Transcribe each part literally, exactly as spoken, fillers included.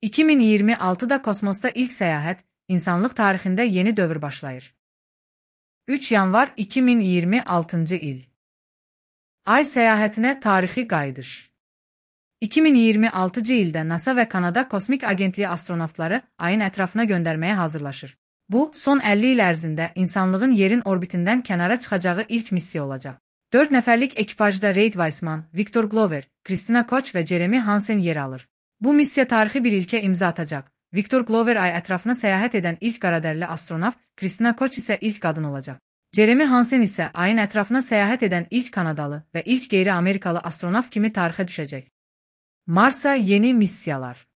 iki min iyirmi altıda kosmosda ilk səyahət, insanlıq tarixində yeni dövr başlayır. üç yanvar iki min iyirmi altıncı il. Ay səyahətinə tarixi qayıdış. iki min iyirmi altıncı ildə NASA və Kanada Kosmik Agentliyi astronavtları ayın ətrafına göndərməyə hazırlaşır. Bu, son əlli il ərzində insanlığın yerin orbitindən kənara çıxacağı ilk missiya olacaq. dörd nəfərlik ekipajda Reid Weissman, Victor Glover, Christina Koch və Jeremy Hansen yer alır. Bu missiya tarixi bir ilkə imza atacaq. Victor Glover ay ətrafına səyahət edən ilk qaradərli astronavt, Christina Koch isə ilk qadın olacaq. Jeremy Hansen isə ayın ətrafına səyahət edən ilk Kanadalı və ilk qeyri-Amerikalı astronavt kimi tarixə düşəcək. Marsa yeni missiyalar.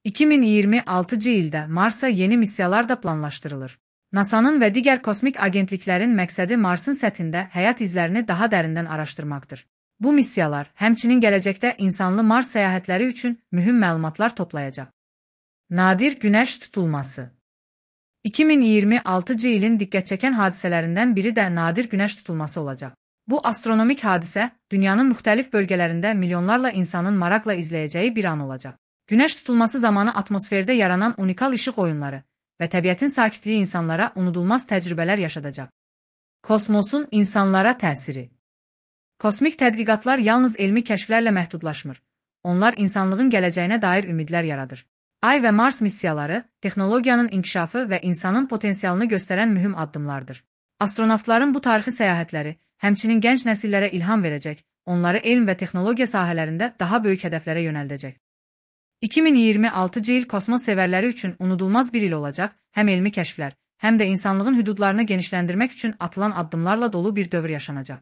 iki min iyirmi altıncı ildə Marsa yeni missiyalar da planlaşdırılır. NASA'nın və digər kosmik agentliklərin məqsədi Marsın səthində həyat izlərini daha dərindən araşdırmaqdır. Bu missiyalar həmçinin gələcəkdə insanlı Mars səyahətləri üçün mühüm məlumatlar toplayacaq. Nadir günəş tutulması. iki min iyirmi altıncı ilin diqqətçəkən hadisələrindən biri də nadir günəş tutulması olacaq. Bu astronomik hadisə dünyanın müxtəlif bölgələrində milyonlarla insanın maraqla izləyəcəyi bir an olacaq. Günəş tutulması zamanı atmosferdə yaranan unikal işıq oyunları və təbiətin sakitliyi insanlara unudulmaz təcrübələr yaşadacaq. Kosmosun insanlara təsiri. Kosmik tədqiqatlar yalnız elmi kəşflərlə məhdudlaşmır. Onlar insanlığın gələcəyinə dair ümidlər yaradır. Ay və Mars missiyaları texnologiyanın inkişafı və insanın potensialını göstərən mühüm addımlardır. Astronavtların bu tarixi səyahətləri həmçinin gənc nəsillərə ilham verəcək, onları elm və texnologiya sahələrində daha böyük hədəflərə yönəldəcək. iki min iyirmi altıncı il kosmos sevərləri üçün unudulmaz bir il olacaq, həm elmi kəşflər, həm də insanlığın hüdudlarını genişləndirmək üçün atılan addımlarla dolu bir dövr yaşanacaq.